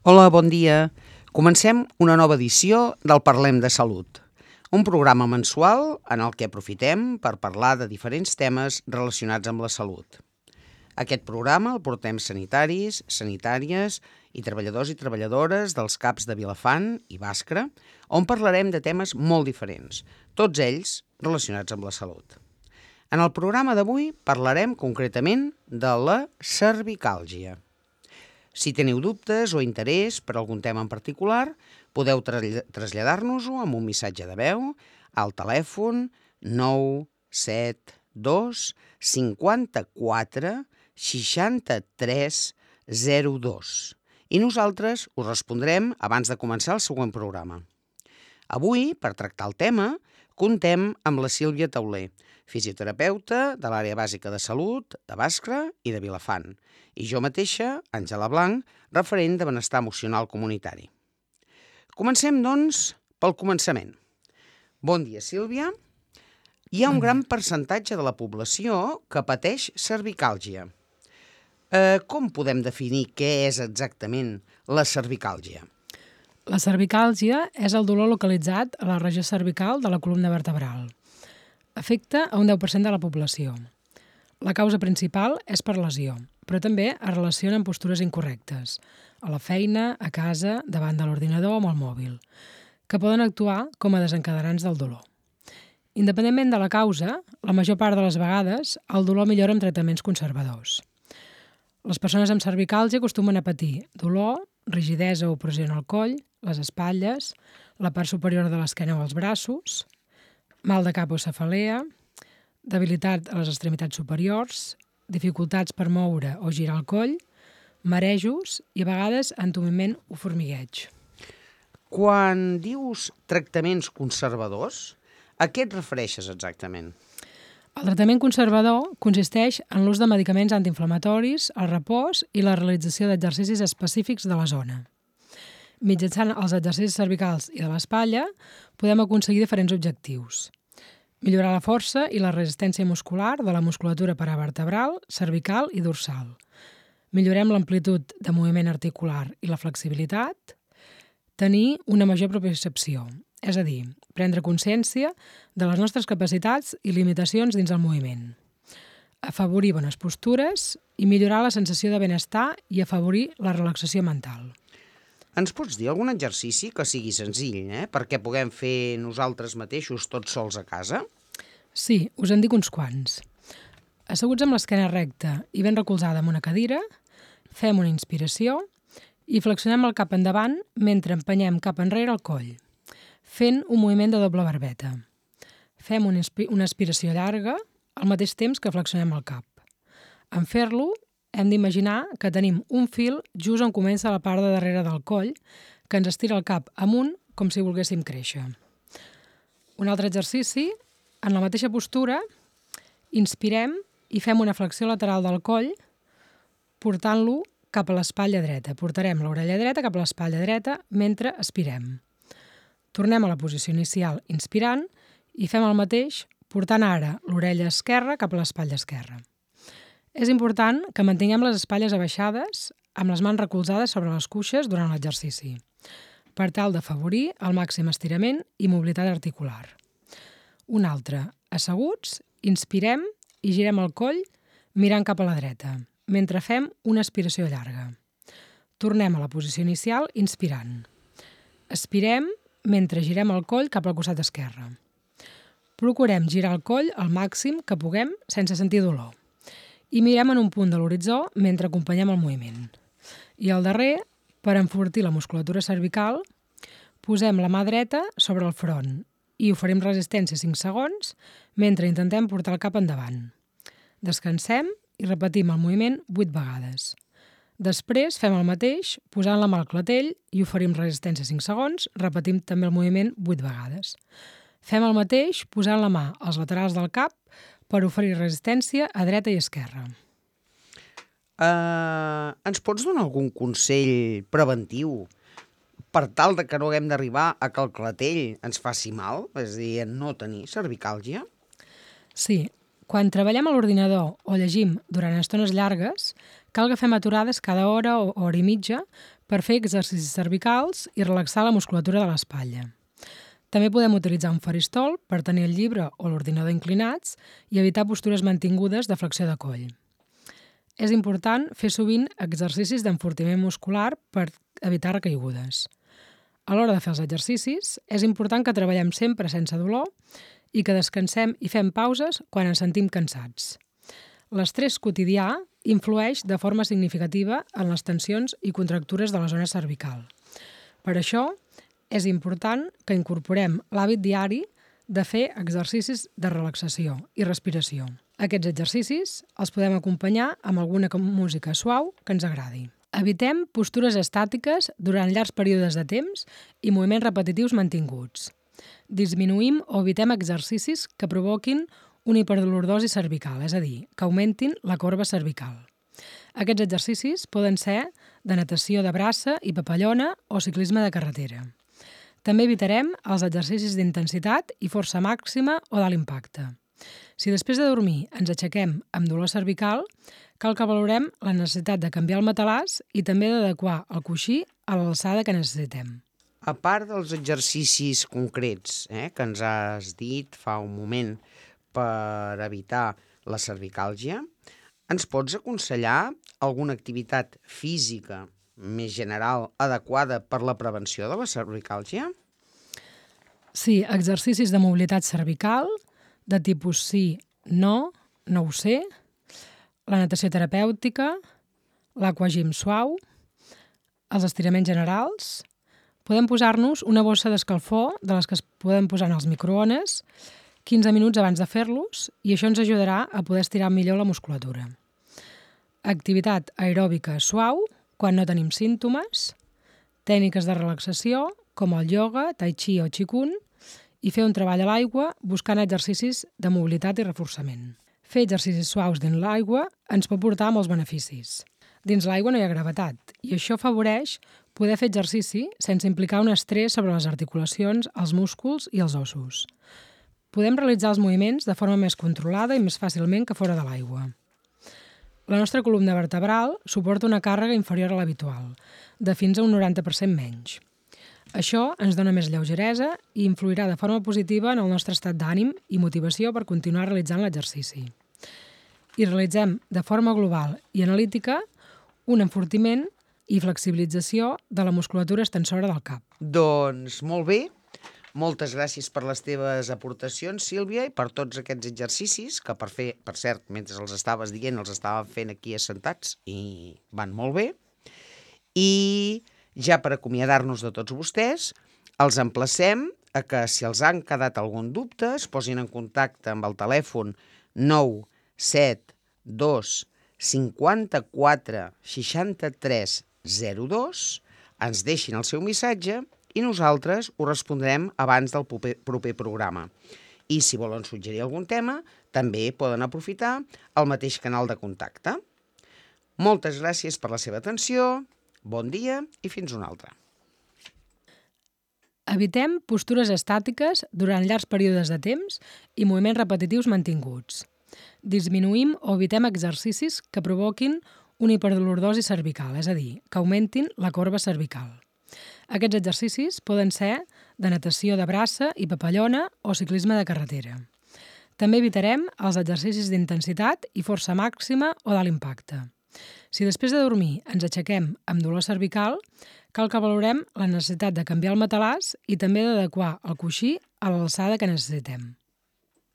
Hola, bon dia. Comencem una nova edició del Parlem de Salut, un programa mensual en el que aprofitem per parlar de diferents temes relacionats amb la salut. Aquest programa el portem sanitaris, sanitàries i treballadors i treballadores dels CAPs de Vilafant i Bàscara, on parlarem de temes molt diferents, tots ells relacionats amb la salut. En el programa d'avui parlarem concretament de la cervicàlgia. Si teniu dubtes o interès per algun tema en particular, podeu traslladar-nos-ho amb un missatge de veu al telèfon 972 54 63 02 i nosaltres us respondrem abans de començar el següent programa. Avui, per tractar el tema, contem amb la Sílvia Tauler, fisioterapeuta de l'àrea bàsica de salut de Bàscara i de Vilafant, i jo mateixa, Àngela Blanc, referent de benestar emocional comunitari. Comencem, doncs, pel començament. Bon dia, Sílvia. Hi ha un gran percentatge de la població que pateix cervicàlgia. Com podem definir què és exactament la cervicàlgia? La cervicàlgia és el dolor localitzat a la regió cervical de la columna vertebral. Afecta a un 10% de la població. La causa principal és per lesió, però també es relaciona amb postures incorrectes, a la feina, a casa, davant de l'ordinador o amb el mòbil, que poden actuar com a desencadenants del dolor. Independentment de la causa, la major part de les vegades el dolor millora amb tractaments conservadors. Les persones amb cervicàlgia acostumen a patir dolor, rigidesa o pressió en el coll, les espatlles, la part superior de l'esquena o els braços, mal de cap o cefalea, debilitat a les extremitats superiors, dificultats per moure o girar el coll, marejos i a vegades entumiment o formigueig. Quan dius tractaments conservadors, a què et refereixes exactament? El tractament conservador consisteix en l'ús de medicaments antiinflamatoris, el repòs i la realització d'exercicis específics de la zona. Mitjançant els exercicis cervicals i de l'espatlla podem aconseguir diferents objectius. Millorar la força i la resistència muscular de la musculatura paravertebral, cervical i dorsal. Millorem l'amplitud de moviment articular i la flexibilitat. Tenir una major propiocepció, és a dir, prendre consciència de les nostres capacitats i limitacions dins el moviment. Afavorir bones postures i millorar la sensació de benestar i afavorir la relaxació mental. Ens pots dir algun exercici que sigui senzill, perquè puguem fer nosaltres mateixos tots sols a casa? Sí, us en dic uns quants. Asseguts amb l'esquena recta i ben recolzada en una cadira, fem una inspiració i flexionem el cap endavant mentre empenyem cap enrere el coll, fent un moviment de doble barbeta. Fem una aspiració llarga al mateix temps que flexionem el cap. En fer-lo, hem d'imaginar que tenim un fil just on comença la part de darrere del coll que ens estira el cap amunt com si volguéssim créixer. Un altre exercici, en la mateixa postura, inspirem i fem una flexió lateral del coll portant-lo cap a l'espatlla dreta. Portarem l'orella dreta cap a l'espatlla dreta mentre expirem. Tornem a la posició inicial inspirant i fem el mateix portant ara l'orella esquerra cap a l'espatlla esquerra. És important que mantinguem les espatlles abaixades amb les mans recolzades sobre les cuixes durant l'exercici, per tal d'afavorir el màxim estirament i mobilitat articular. Un altre, asseguts, inspirem i girem el coll mirant cap a la dreta, mentre fem una aspiració llarga. Tornem a la posició inicial inspirant. Expirem mentre girem el coll cap al costat esquerre. Procurem girar el coll al màxim que puguem sense sentir dolor. I mirem en un punt de l'horitzó mentre acompanyem el moviment. I al darrer, per enfortir la musculatura cervical, posem la mà dreta sobre el front i oferim resistència 5 segons mentre intentem portar el cap endavant. Descansem i repetim el moviment 8 vegades. Després fem el mateix posant la mà al clatell i oferim resistència 5 segons, repetim també el moviment 8 vegades. Fem el mateix posant la mà als laterals del cap per oferir resistència a dreta i esquerra. Ens pots donar algun consell preventiu per tal de que no haguem d'arribar a que el clatell ens faci mal, és a dir, no tenir cervicàlgia? Sí, quan treballem a l'ordinador o llegim durant estones llargues, cal que fem aturades cada hora o hora i mitja per fer exercicis cervicals i relaxar la musculatura de l'espatlla. També podem utilitzar un faristol per tenir el llibre o l'ordinador inclinats i evitar postures mantingudes de flexió de coll. És important fer sovint exercicis d'enfortiment muscular per evitar recaigudes. A l'hora de fer els exercicis, és important que treballem sempre sense dolor i que descansem i fem pauses quan ens sentim cansats. L'estrès quotidià influeix de forma significativa en les tensions i contractures de la zona cervical. Per això, és important que incorporem l'hàbit diari de fer exercicis de relaxació i respiració. Aquests exercicis els podem acompanyar amb alguna música suau que ens agradi. Evitem postures estàtiques durant llargs períodes de temps i moviments repetitius mantinguts. Disminuïm o evitem exercicis que provoquin una hiperdolordosi cervical, és a dir, que augmentin la corba cervical. Aquests exercicis poden ser de natació de braça i papallona o ciclisme de carretera. També evitarem els exercicis d'intensitat i força màxima o d'alt impacte. Si després de dormir ens aixequem amb dolor cervical, cal que valorem la necessitat de canviar el matalàs i també d'adequar el coixí a l'alçada que necessitem. A part dels exercicis concrets que ens has dit fa un moment per evitar la cervicàlgia, ens pots aconsellar alguna activitat física més general adequada per la prevenció de la cervicàlgia? Sí, exercicis de mobilitat cervical, de tipus sí, no ho sé, la natació terapèutica, l'aquagym suau, els estiraments generals. Podem posar-nos una bossa d'escalfor de les que es poden posar en els microones 15 minuts abans de fer-los i això ens ajudarà a poder estirar millor la musculatura. Activitat aeròbica suau quan no tenim símptomes, tècniques de relaxació com el ioga, tai chi o qigong i fer un treball a l'aigua buscant exercicis de mobilitat i reforçament. Fer exercicis suaus dins l'aigua ens pot portar molts beneficis. Dins l'aigua no hi ha gravetat i això afavoreix poder fer exercici sense implicar un estrès sobre les articulacions, els músculs i els ossos. Podem realitzar els moviments de forma més controlada i més fàcilment que fora de l'aigua. La nostra columna vertebral suporta una càrrega inferior a l'habitual, de fins a un 90% menys. Això ens dona més lleugeresa i influirà de forma positiva en el nostre estat d'ànim i motivació per continuar realitzant l'exercici. I realitzem de forma global i analítica un enfortiment i flexibilització de la musculatura extensora del cap. Doncs molt bé. Moltes gràcies per les teves aportacions, Sílvia, i per tots aquests exercicis que, per cert, mentre els estaves dient, els estàvem fent aquí assentats i van molt bé. I ja per acomiadar-nos de tots vostès, els emplacem a que, si els han quedat algun dubte, es posin en contacte amb el telèfon 972 54 63 02, ens deixin el seu missatge i nosaltres ho respondrem abans del proper programa. I si volen suggerir algun tema, també poden aprofitar el mateix canal de contacte. Moltes gràcies per la seva atenció, bon dia i fins una altra. Evitem postures estàtiques durant llargs períodes de temps i moviments repetitius mantinguts. Disminuïm o evitem exercicis que provoquin una hiperdolordosi cervical, és a dir, que augmentin la corba cervical. Aquests exercicis poden ser de natació de braça i papallona o ciclisme de carretera. També evitarem els exercicis d'intensitat i força màxima o d'alt impacte. Si després de dormir ens aixequem amb dolor cervical, cal que valorem la necessitat de canviar el matalàs i també d'adequar el coixí a l'alçada que necessitem.